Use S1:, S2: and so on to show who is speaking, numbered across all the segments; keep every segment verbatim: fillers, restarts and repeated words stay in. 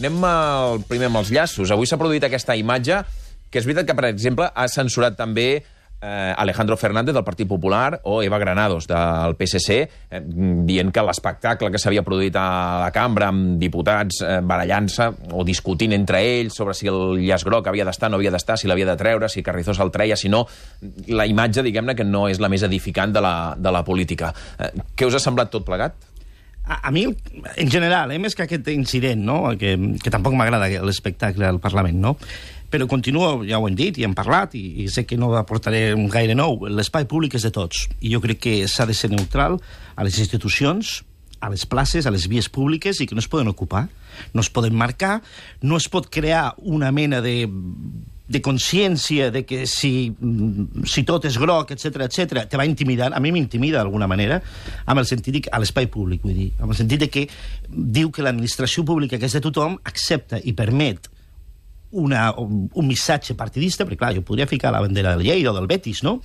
S1: anem al, primer amb els llaços. Avui s'ha produït aquesta imatge, que és veritat que, per exemple, ha censurat també eh, Alejandro Fernández del Partit Popular o Eva Granados del P S C, eh, dient que l'espectacle que s'havia produït a la cambra amb diputats eh, barallant-se o discutint entre ells sobre si el llaç groc havia d'estar, no havia d'estar, si l'havia de treure, si Carrizosa el treia, si no... La imatge, diguem-ne, que no és la més edificant de la, de la política. Eh, què us ha semblat tot plegat?
S2: A, a mi, en general, eh, més que aquest incident, no? que, que tampoc m'agrada l'espectacle al Parlament, no? Però continuo, ja ho hem dit i hem parlat, i, i sé que no aportaré un gaire nou. L'espai públic és de tots, i jo crec que s'ha de ser neutral a les institucions, a les places, a les vies públiques, i que no es poden ocupar, no es poden marcar, no es pot crear una mena de... de consciència de que si, si tot és groc, etcètera, etcètera, te va intimidar. A mi m'intimida d'alguna manera, amb el sentit de, a l'espai públic, vull dir, amb el sentit de que diu que l'administració pública, que és de tothom, accepta i permet una, un, un missatge partidista, perquè clar, jo podria ficar la bandera del Lleida o del Betis, no?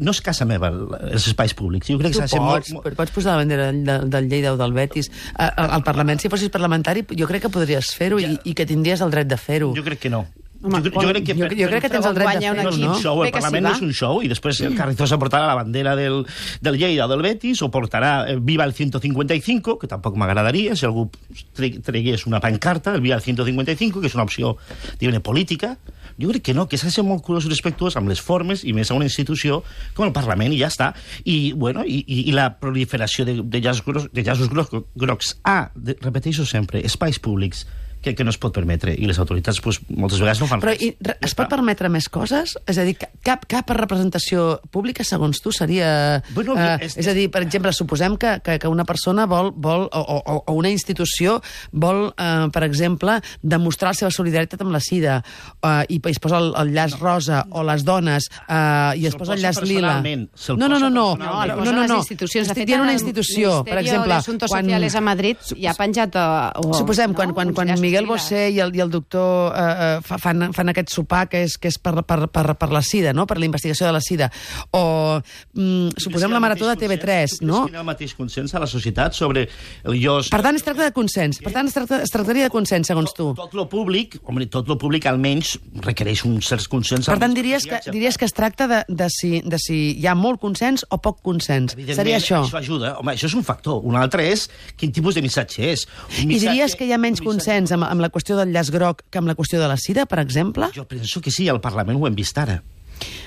S2: No és casa meva, els espais públics. Jo crec que
S3: tu pots, molt... pots posar la bandera del, del Lleida o del Betis al Parlament. Si fossis parlamentari, jo crec que podries fer-ho ja. i, i que tindries el dret de fer-ho.
S2: Jo crec que no.
S3: Home, jo, jo, crec que, jo, jo crec que tens el dret de fer-ho,
S2: no? Un show, el Parlament no és un show, i després el Carrizosa portarà la bandera del, del Lleida o del Betis, o portarà Viva el ciento cincuenta y cinco, que tampoc m'agradaria, si algú tregués una pancarta, el Viva el ciento cincuenta y cinco, que és una opció, diguem-ne, política. Jo crec que no, que s'ha de ser molt curós i respectuós amb les formes, i més a una institució com el Parlament, i ja està. I, bueno, i, i, i la proliferació de, de llaços grocs, de llaços grocs, grocs a, de, repeteixo sempre, espais públics, que, que no es pot permetre, i les autoritats pues, moltes vegades no fan
S3: Però,
S2: res.
S3: I, re, es pot permetre més coses? És a dir, cap, cap representació pública, segons tu, seria...
S2: Bueno,
S3: eh,
S2: és,
S3: és a dir, per exemple, suposem que, que, que una persona vol, vol o, o, o una institució vol, eh, per exemple, demostrar la seva solidaritat amb la sida, eh, i es posa el, el llaç rosa, o les dones, eh, i es posa el llaç lila.
S2: No,
S3: no, no, no.
S4: No, no, no, no, no. Institucions.
S3: Estic dient una institució, per exemple...
S4: L'Asuntos Sociales a Madrid ja ha penjat... O,
S3: suposem,
S4: no?
S3: quan, quan, quan Miguel Bosé i el, i el doctor eh, fan, fan aquest sopar que és, que és per, per, per, per la sida, no? Per la investigació de la sida. O mm, suposem la marató de T V tres, no?
S2: Tu creus que hi ha el mateix consens a la societat sobre el llos...
S3: Per tant, es tracta de consens. Per tant, es, tracta, es tractaria de consens, segons tu.
S2: Tot, tot lo públic, home, tot lo públic almenys requereix un cert consens.
S3: Per tant, diries que, diries que es tracta de, de, si, de si hi ha molt consens o poc consens. Seria això?
S2: Això ajuda. Home, això és un factor. Un altre és quin tipus de missatge és. Un missatge,
S3: I diries que hi ha menys consens amb, amb la qüestió del llaç groc que amb la qüestió de la sida, per exemple?
S2: Jo penso que sí, al Parlament ho hem vist ara.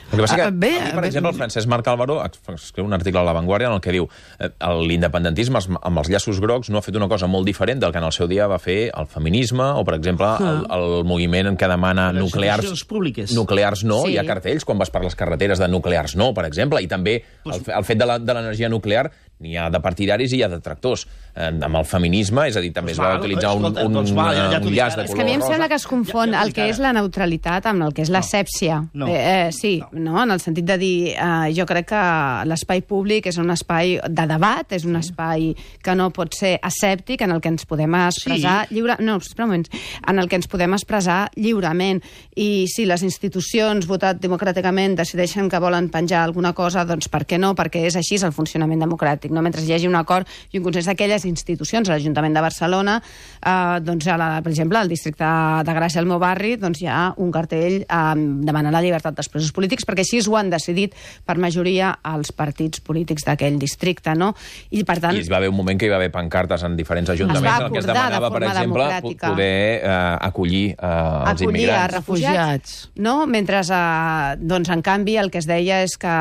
S1: El que passa que,
S3: ah, bé,
S1: avui, per
S3: bé,
S1: exemple, el Francesc Marc Álvaro escriu un article a La Vanguardia en el que diu eh, l'independentisme amb els llaços grocs no ha fet una cosa molt diferent del que en el seu dia va fer el feminisme o, per exemple, el, el moviment que demana
S2: les
S1: nuclears,
S2: públiques.
S1: nuclears no.
S4: Sí.
S1: Hi ha cartells quan vas per les carreteres de nuclears no, per exemple, i també el, el fet de l'energia nuclear n'hi ha de partidaris i hi ha de tractors. Eh, amb el feminisme, és a dir, també es va utilitzar un, un, un, un llaç de color rosa.
S4: És que a mi em sembla que es confon el que és la neutralitat amb el que és l'asèpsia.
S2: No.
S4: Eh, eh, sí, no, en el sentit de dir, eh, jo crec que l'espai públic és un espai de debat, és un espai que no pot ser asèptic, en el que ens podem expressar
S2: Sí.
S4: lliure... No, espera un moment. En el que ens podem expressar lliurement. I si les institucions, votat democràticament, decideixen que volen penjar alguna cosa, doncs per què no? Perquè és així el funcionament democràtic. No? Mentre hi hagi un acord i un consens d'aquelles institucions, a l'Ajuntament de Barcelona, eh, doncs, a la, per exemple, al districte de Gràcia, al meu barri, doncs hi ha un cartell eh, demanant la llibertat dels presos polítics, perquè així ho han decidit per majoria els partits polítics d'aquell districte, no? I, per tant...
S1: I es va haver un moment que hi va haver pancartes en diferents ajuntaments en què es demanava, per exemple, poder eh, acollir eh, els
S4: acollir
S1: immigrants.
S4: a refugiats. No? Mentre, eh, doncs, en canvi, el que es deia és que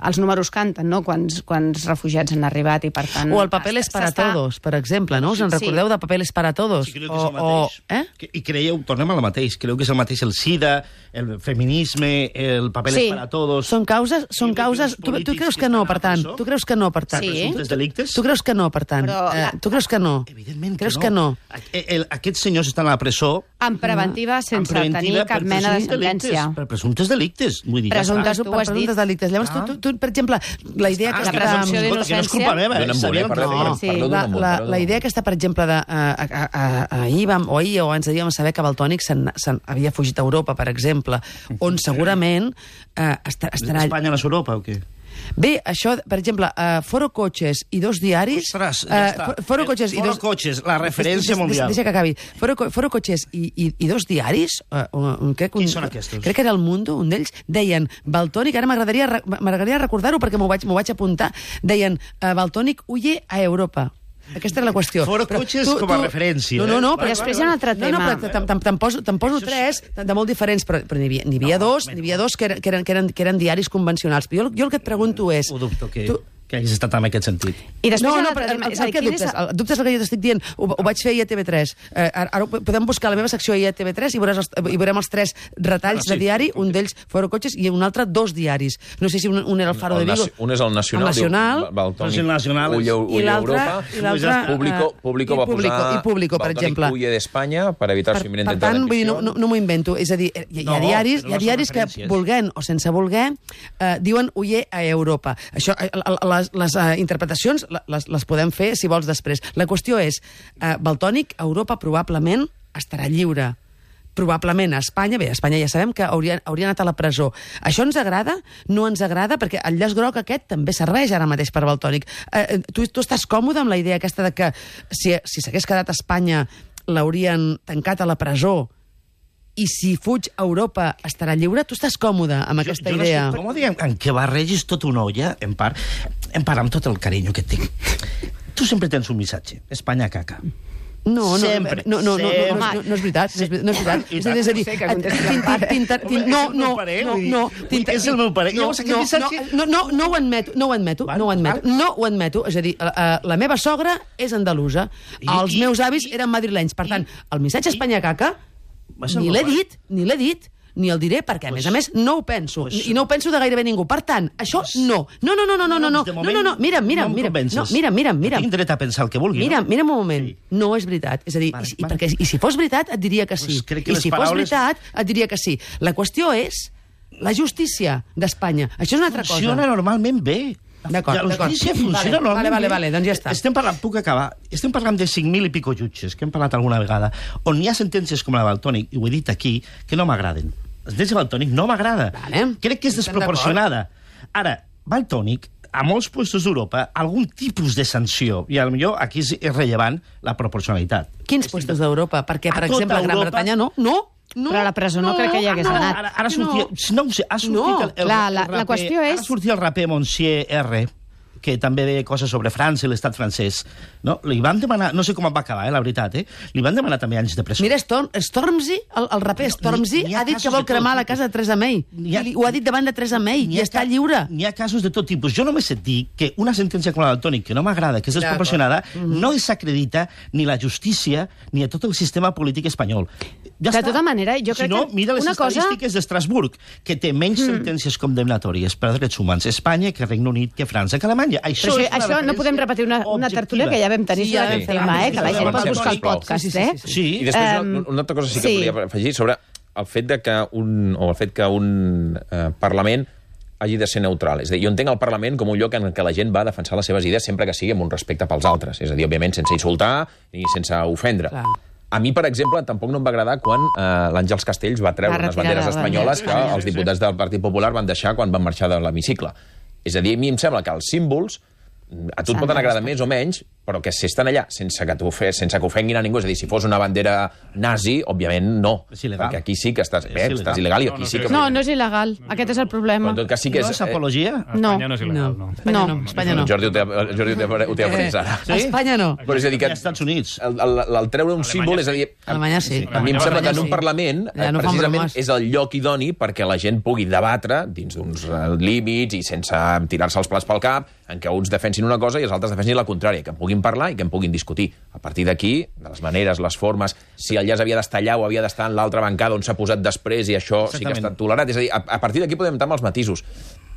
S4: els números canten, no?, quants, quants refugiats han arribat i, per tant...
S3: O el Papeles para todos, per exemple, no? Us en recordeu de Papeles para todos?
S2: Sí, creu que és el mateix.
S3: O, eh?
S2: I creieu, tornem al mateix, creu que és el mateix el SIDA, el feminisme, el Papeles
S4: Sí.
S2: para todos...
S3: Són causes... Són causes... Tu, tu creus que no, per tant? Tu creus que no, per tant?
S4: Sí.
S2: Presumptes delictes?
S3: Tu creus que no, per tant?
S4: Però
S3: Eh,
S4: la-
S3: tu creus que no?
S2: Evidentment
S3: creus
S2: que no.
S3: que no?
S2: A- el- Aquests senyors estan a la presó...
S4: En preventiva, sense tenir cap
S2: per
S4: mena de
S2: presumptes delictes,
S4: sentència.
S2: Per presumptes delictes. Vull dir, ja
S4: Presumptes-
S2: està.
S4: tu ho has dit.
S3: presumptes delictes. Llavors, tu, tu, tu, per exemple, la idea que
S2: Ah,
S4: la
S3: està...
S4: presumpció
S2: escolta, que no és culpa meva.
S1: Donen
S2: eh?
S1: voler,
S2: Sabíem-
S1: parleu,
S2: no.
S1: parleu,
S4: sí.
S1: parleu
S3: La,
S1: d'un món,
S3: la,
S1: parleu
S3: la
S1: d'un
S3: idea
S1: món.
S3: aquesta, per exemple, de, a, a, a, ahir vam, o ahir o abans de dir, vam saber que Valtònic se'n, se'n havia fugit a Europa, per exemple, on segurament eh, estar, estarà...
S2: Espanya no és Europa o què?
S3: Bé, això, per exemple, uh, Foro Cotxes i dos diaris...
S2: Ostres, ja
S3: uh,
S2: està.
S3: Foro Cotxes i
S2: Foro
S3: dos...
S2: Cotxes, la referència
S3: Deixa,
S2: mundial.
S3: Deixa que acabi. Foro, Foro Cotxes i, i, i dos diaris... Uh, un, crec, un,
S2: Quins són aquests?
S3: Crec que era El Mundo, un d'ells, deien Valtònic, ara m'agradaria m'agradaria recordar-ho perquè m'ho vaig, m'ho vaig apuntar, deien uh, Valtònic huye a Europa. Aquesta era la qüestió.
S2: Foro Cotxes com a referència.
S3: No, no, no,
S2: eh?
S3: però
S4: després hi ha un altre tema.
S3: No, no, però te'n te poso, te poso tres de molt diferents, però, però n'hi havia, n'hi havia
S2: No,
S3: dos, n'hi havia dos que, eren, que, eren, que, eren, que eren diaris convencionals. Però jo, jo el que et pregunto és...
S2: Ho dubto que,
S3: tu,
S2: que hagués estat en aquest sentit.
S4: I després
S3: no,
S4: hi ha un
S3: no,
S4: altre
S3: però
S4: tema.
S3: el,
S4: És a
S3: el,
S4: dir,
S3: el,
S4: quin
S3: dubtes,
S4: és-
S3: el, el dubte és el que jo t'estic dient. Ho, ho vaig fer ahir a T V tres. Eh, ara, ara podem buscar la meva secció ahir a T V tres i, veuràs els, i veurem els tres retalls
S2: Ah, sí,
S3: de diari,
S2: sí,
S3: un d'ells Foro Cotxes i un altre dos diaris. No sé si un, un era el Faro
S1: El
S3: de Vigo.
S1: naci- un és el Nacional,
S3: El Nacional.
S1: diu, Valtònic,
S2: Doncs el Nacional és-
S1: Huye,
S3: I
S1: huye a
S3: l'altre,
S1: Europa.
S3: i l'altre,
S1: Público,
S3: eh,
S1: Público
S3: i
S1: va
S3: Público,
S1: posar
S3: i Público, per
S1: Valtònic
S3: exemple.
S1: huye d'Espanya per evitar
S3: Per,
S1: su
S3: per
S1: inminente
S3: tant, vull dir, no,
S1: rendición.
S3: no, no m'ho invento. És a dir, hi, hi ha
S2: No,
S3: diaris,
S2: però
S3: hi ha
S2: no són
S3: diaris que,
S2: referències.
S3: volent o sense voler, eh, diuen huye a Europa. Això, eh, les, les eh, interpretacions les, les podem fer, si vols, després. La qüestió és, eh, Valtònic, a Europa probablement estarà lliure. Probablement a Espanya, bé, a Espanya ja sabem que hauria, hauria anat a la presó. Això ens agrada? No ens agrada? Perquè el llaç groc aquest també serveix ara mateix per Valtònic. Eh, tu, tu estàs còmode amb la idea aquesta de que si si s'hagués quedat a Espanya l'haurien tancat a la presó i si fuig a Europa estarà lliure? Tu estàs còmode amb aquesta
S2: jo, jo
S3: idea?
S2: No estic còmode en, en què barregis tota una olla, en part, en part amb tot el carinyo que et tinc. Tu sempre tens un missatge. Espanya caca.
S3: No, no,
S2: Sempre,
S3: no, no, no, no,
S2: sempre.
S3: no, no, no és veritat, no és veritat, no és veritat.
S2: I
S3: És a dir, és a dir,
S4: No sé què contestes,
S3: tin- tin- tin- tin-
S2: Home,
S3: no,
S2: és el
S3: no,
S2: meu parer,
S3: no,
S2: vull dir,
S3: no,
S2: vull
S3: tin-
S2: dir, és el meu parer.
S3: no,
S2: Llavors, aquest
S3: no,
S2: missatge-
S3: no, no, no ho admeto, no ho admeto,
S2: Val,
S3: no ho admeto,
S2: val.
S3: no ho admeto, és a dir, la, la meva sogra és andalusa,
S2: I-
S3: els
S2: i-
S3: meus avis
S2: i-
S3: eren madrilenys, per tant, el missatge Espanya caca
S2: Va ser
S3: ni
S2: el
S3: l'he
S2: meu pare.
S3: dit, ni l'he dit, ni el diré, perquè, a més a més, no ho penso.
S2: Pues-
S3: I no ho penso de gairebé ningú. Per tant, això no. No, no, no, no, no, no, no,
S2: De
S3: no,
S2: moment,
S3: no, no, mira, mira,
S2: no em
S3: mira,
S2: convences.
S3: no, mira, mira, mira.
S2: Tinc dret a pensar el que vulgui,
S3: Mira,
S2: no?
S3: mira un moment.
S2: Sí.
S3: No és veritat. És a dir,
S2: Vale,
S3: i, i,
S2: vale.
S3: perquè, i si fos veritat, et diria que sí.
S2: Pues crec que
S3: I
S2: les
S3: si fos
S2: paraules-
S3: veritat, et diria que sí. La qüestió és la justícia d'Espanya. Això és una altra
S2: Funciona
S3: cosa.
S2: normalment bé.
S3: D'acord,
S2: La
S3: d'acord.
S2: justícia funciona
S3: Vale,
S2: normalment
S3: vale, vale,
S2: bé.
S3: vale, doncs ja està.
S2: Estem parlant, puc acabar, estem parlant de cinc mil i pico jutges, que hem parlat alguna vegada, on hi ha sentències com la de Valtònic, i ho he dit aquí, que no m'agraden. La sentència de Valtònic no m'agrada.
S3: Vale.
S2: Crec que és
S3: Estem
S2: desproporcionada. Ara, Valtònic, a molts puestos d'Europa, algun tipus de sanció, i potser aquí és rellevant la proporcionalitat.
S3: Quins puestos d'Europa? Perquè, per
S2: A tota
S3: exemple, a Gran
S2: Europa-
S3: Bretanya no. No, no.
S4: Però a la presó no crec que hi hagués
S3: no,
S4: anat.
S2: Ara, ara
S3: no.
S2: sortia, no ho sé, ha sortit
S3: No,
S2: el, el,
S4: clar,
S2: el
S4: la- la
S2: raper,
S4: qüestió és-
S2: Ara sortia el raper Monsieur R, que també deia coses sobre França i l'estat francès. No? Li van demanar, no sé com va acabar, eh, la veritat, eh? Li van demanar també anys de presó.
S3: Mira, Storm, Stormzy, el, el raper
S2: No,
S3: Stormzy,
S2: n'hi- n'hi ha
S3: ha dit
S2: casos
S3: que vol
S2: de tot
S3: cremar la
S2: tipus.
S3: casa de Teresa May.
S2: N'hi ha-
S3: I ho ha dit davant de Teresa May
S2: N'hi
S3: i
S2: ha
S3: està
S2: ca-
S3: lliure.
S2: N'hi ha casos de tot tipus. Jo només et dic que una sentència com la del Toni, que no m'agrada, que és desproporcionada, no desacredita ni la justícia ni a tot el sistema polític espanyol. Ja
S4: De
S2: està.
S4: tota manera, jo
S2: si
S4: crec
S2: no,
S4: que
S2: mira les
S4: una cosa-
S2: estadístiques d'Estrasburg, que té menys sentències condemnatòries per drets humans a Espanya que Regne Unit, que França, que Alemanya. Això,
S4: Però
S2: és
S4: això,
S2: una
S4: això no podem
S2: referència
S4: repetir una, una
S2: objectiva.
S4: tertúlia que ja vam tenir
S3: Sí,
S4: sobre
S3: ja
S4: aquest
S3: vam
S4: tema,
S3: fer.
S4: eh? Que la
S3: Sí,
S4: gent
S3: sí,
S4: pot
S3: sí,
S4: buscar el
S3: sisplau.
S4: podcast,
S3: Sí, sí,
S4: eh?
S3: sí, sí.
S2: Sí.
S1: I després,
S4: Em,
S1: una, una altra cosa sí que
S4: sí.
S1: volia afegir sobre el fet de que un, o el fet que un eh, Parlament hagi de ser neutral. És a dir, jo entenc el Parlament com un lloc en què la gent va a defensar les seves idees sempre que sigui amb un respecte pels altres. És a dir, òbviament, sense insultar ni sense ofendre.
S3: Clar.
S1: A mi, per exemple, tampoc no em va agradar quan eh, l'Àngels Castells va treure
S4: Va
S1: unes
S4: retirar
S1: banderes
S4: la
S1: espanyoles que
S4: bandera.
S1: els diputats del Partit Popular van deixar quan van marxar de l'hemicicle. És a dir, a mi em sembla que els símbols a tu et
S4: S'han
S1: poden
S4: de
S1: agradar
S4: respectar.
S1: més o menys, però que si estan allà sense que, t'ofe- sense que ofenguin a ningú, és a dir, si fos una bandera nazi, òbviament no.
S2: És il·legal.
S1: Perquè aquí sí que estàs,
S2: És
S1: bé,
S2: il·legal.
S1: estàs il·legal i
S5: No,
S1: aquí
S5: no,
S1: sí que...
S4: No, no és il·legal. Aquest és el
S1: Però
S4: problema.
S1: en tot cas sí que
S2: No
S1: és...
S2: és apologia?
S5: A
S4: No.
S5: Espanya no és il·legal,
S3: No,
S5: no.
S3: Espanya no,
S4: No.
S3: Espanya
S1: Eh,
S3: no.
S1: Jordi ho té, Jordi ho té, ho té après ara.
S2: Sí?
S3: A Espanya no.
S1: Però és a dir que...
S2: Als Estats Units.
S1: El, el, el, el treure un símbol, és a dir...
S3: A Alemanya sí.
S1: A mi em sembla que en un
S3: sí.
S1: Parlament
S3: Ja
S1: eh,
S3: no fan
S1: precisament
S3: bromes.
S1: és el lloc idoni perquè la gent pugui debatre dins d'uns eh, límits i sense tirar-se els plats pel cap, en què uns defensin una cosa i els altres defensin la contrària, que en puguin parlar i que en puguin discutir. A partir d'aquí, de les maneres, les formes, si el llaç havia d'estar allà o havia d'estar en l'altra bancada on s'ha posat després i això sí que ha
S2: Exactament.
S1: estat tolerat. És a dir, a, a partir d'aquí podem entrar amb els matisos.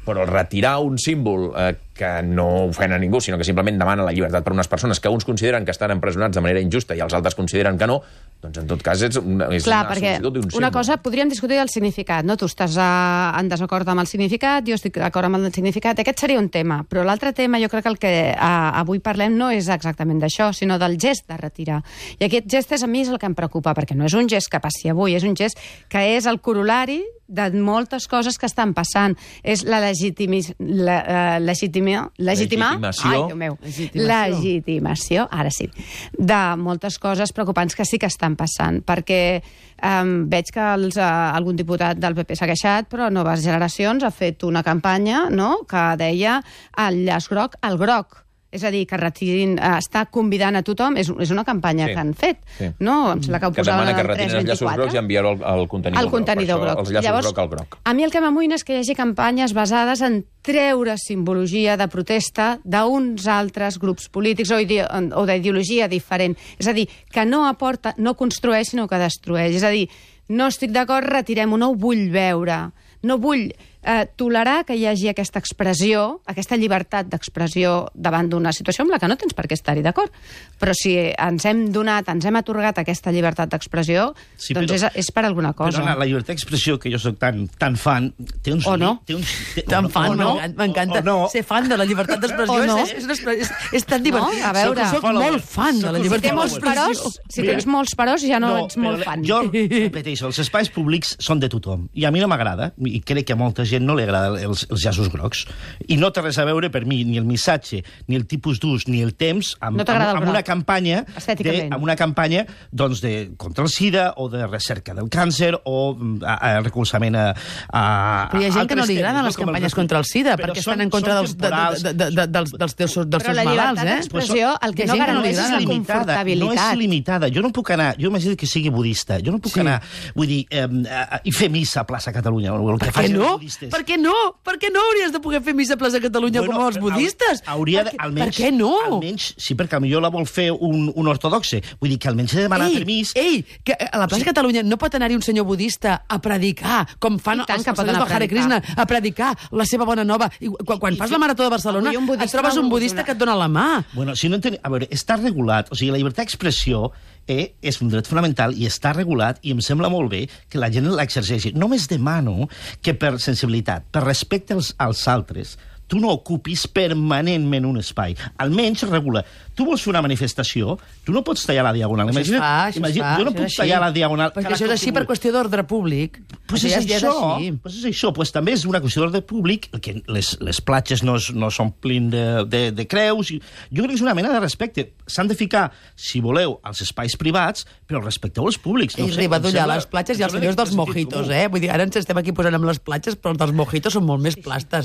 S1: Però retirar un símbol eh, que que no ofèn a ningú, sinó que simplement demana la llibertat per unes persones que uns consideren que estan empresonats de manera injusta i els altres consideren que no, doncs en tot cas és una, és
S4: Clar,
S1: una
S4: perquè
S1: sol·licitud d'un símbol.
S4: una cosa, podríem discutir el significat, no? Tu estàs uh, en desacord amb el significat, jo estic d'acord amb el significat, aquest seria un tema, però l'altre tema jo crec que el que uh, avui parlem no és exactament d'això, sinó del gest de retirar. I aquest gest és a mi és el que em preocupa, perquè no és un gest que passi avui, és un gest que és el corolari de moltes coses que estan passant. És la, legitimi, la uh, legitima, legitimar...
S1: Legitimació.
S4: Ai, Déu meu.
S3: Legitimació.
S4: Legitimació, ara sí, de moltes coses preocupants que sí que estan passant, perquè um, veig que els, uh, algun diputat del P P s'ha queixat, però Noves Generacions ha fet una campanya, no?, que deia el llaç groc al groc. És a dir, que retirin, eh, està convidant a tothom, és, és una campanya
S1: Sí.
S4: que han fet,
S1: Sí.
S4: no? Em sembla que ho
S1: Que
S4: posaven
S1: demana que
S4: al
S1: retirin els llaços
S4: tres vint-i-quatre.
S1: grocs i enviar-ho al, al contenidor
S4: El contenidor
S1: groc. Per
S4: groc.
S1: això, els llaços
S4: Llavors,
S1: groc al groc.
S4: a mi el que m'amoïna és que hi hagi campanyes basades en treure simbologia de protesta d'uns altres grups polítics o ide- o d'ideologia diferent. És a dir, que no aporta, no construeix, sinó que destrueix. És a dir, no estic d'acord, retirem-ho, no ho vull veure. No vull eh, tolerar que hi hagi aquesta expressió, aquesta llibertat d'expressió davant d'una situació amb la que no tens per què estar-hi d'acord. Però si ens hem donat, ens hem atorgat aquesta llibertat d'expressió,
S2: Sí,
S4: doncs
S2: però-
S4: és, és per alguna cosa.
S2: Però, Anna, la llibertat d'expressió, que jo soc tan, tan fan, té uns...
S4: O no.
S2: Té uns té,
S3: Tan
S2: o
S3: fan,
S2: o no,
S3: m'encanta.
S2: o no.
S3: Ser fan de la llibertat d'expressió
S4: O no.
S3: és, és, és, és, és tan divertit.
S4: No, a veure.
S3: Soc, soc molt fan de la
S2: Soc un
S4: Si
S3: llibertat
S4: té molts
S3: d'expressió.
S4: peròs, si
S2: Mira.
S4: tens molts peròs ja no, ets molt
S2: però
S4: fan.
S2: Jo repeteixo, els espais públics són de tothom. I a mi no m'agrada, i crec que a molta gent no li agrada els, els llaços grocs. I no té res a veure per mi ni el missatge, ni el tipus d'ús, ni el temps amb,
S4: No t'agrada el
S2: amb, amb una
S4: groc,
S2: campanya, de,
S4: estèticament.
S2: amb una campanya doncs, de, contra el SIDA o de recerca del càncer o a, a recolzament a, a
S3: Però hi ha gent que no
S2: altres
S3: li agraden
S2: temes,
S3: les
S2: com el
S3: campanyes
S2: recu-
S3: contra el SIDA,
S2: Però
S3: perquè
S2: són-
S3: estan en contra
S2: són
S3: dels, de,
S2: temporals.
S3: de, de, de, dels, dels, teus, dels
S4: Però
S3: teus
S4: la
S3: malalts,
S4: llibertat
S3: eh?
S4: d'expressió el que
S3: Hi ha
S4: no
S3: gent que no li
S4: garanteix és
S3: agrada.
S4: la confortabilitat.
S2: No és limitada. Jo no puc anar... Jo imagino que sigui budista. Jo no puc
S3: Sí.
S2: anar, vull dir, eh, eh, i fer missa a plaça Catalunya. O el que
S3: Per què
S2: facin
S3: no?
S2: els budistes.
S3: Per què no? Per què no hauries de poder fer missa a plaça Catalunya com els budistes?
S2: Hauria de,
S3: Per què-
S2: almenys,
S3: per què no?
S2: Almenys, sí, perquè potser la vol fer un, un ortodoxe. Vull dir que almenys he de demanar
S3: Ei,
S2: permís.
S3: ei, que a la plaça Catalunya no pot anar-hi un senyor budista a predicar, com fan
S4: I tant
S3: els
S4: que pot
S3: senyors
S4: anar
S3: del
S4: a
S3: Hare
S4: predicar.
S3: Krishna, a predicar la seva bona nova. I quan, quan
S2: I
S3: fas
S2: fer-
S3: la Marató de Barcelona,
S4: Avui un budista
S3: et trobes
S4: m'ha
S3: un
S4: volgut
S3: budista
S4: donar-
S3: que et dona la mà.
S2: Bueno, si no enten... A veure, està regulat. O sigui, la llibertat d'expressió eh, és un dret fonamental i està regulat i em sembla molt bé que la gent l'exerceixi. Només demano que per sensibilitat, per respecte als, als altres, tu no ocupis permanentment un espai. Almenys regula. Tu vols fer una manifestació, tu no pots tallar la diagonal.
S3: Això es
S2: Imagina't-
S3: fa, això es
S2: imagina't,
S3: fa.
S2: jo no
S3: això
S2: puc
S3: és
S2: tallar
S3: així.
S2: la diagonal.
S3: Perquè
S2: cada
S3: això és
S2: cop
S3: així
S2: que
S3: per
S2: vull.
S3: qüestió d'ordre públic.
S2: Pues
S3: Això
S2: és,
S3: ja- ja
S2: això,
S3: així.
S2: pues és això, pues també és una qüestió d'ordre públic, que les, les platges no, es- no s'omplin de, de, de creus. I jo crec que és una mena de respecte. S'han de ficar, si voleu, als espais privats, però respecteu els públics.
S3: I
S2: sé,
S3: arriba
S2: em
S3: d'ullar
S2: sembla-
S3: les platges i
S2: em
S3: els
S2: sembla
S3: senyors
S2: de
S3: dels
S2: sentit
S3: mojitos,
S2: comú.
S3: eh? Vull dir, ara ens estem aquí posant amb les platges, però els dels mojitos són molt més plastes.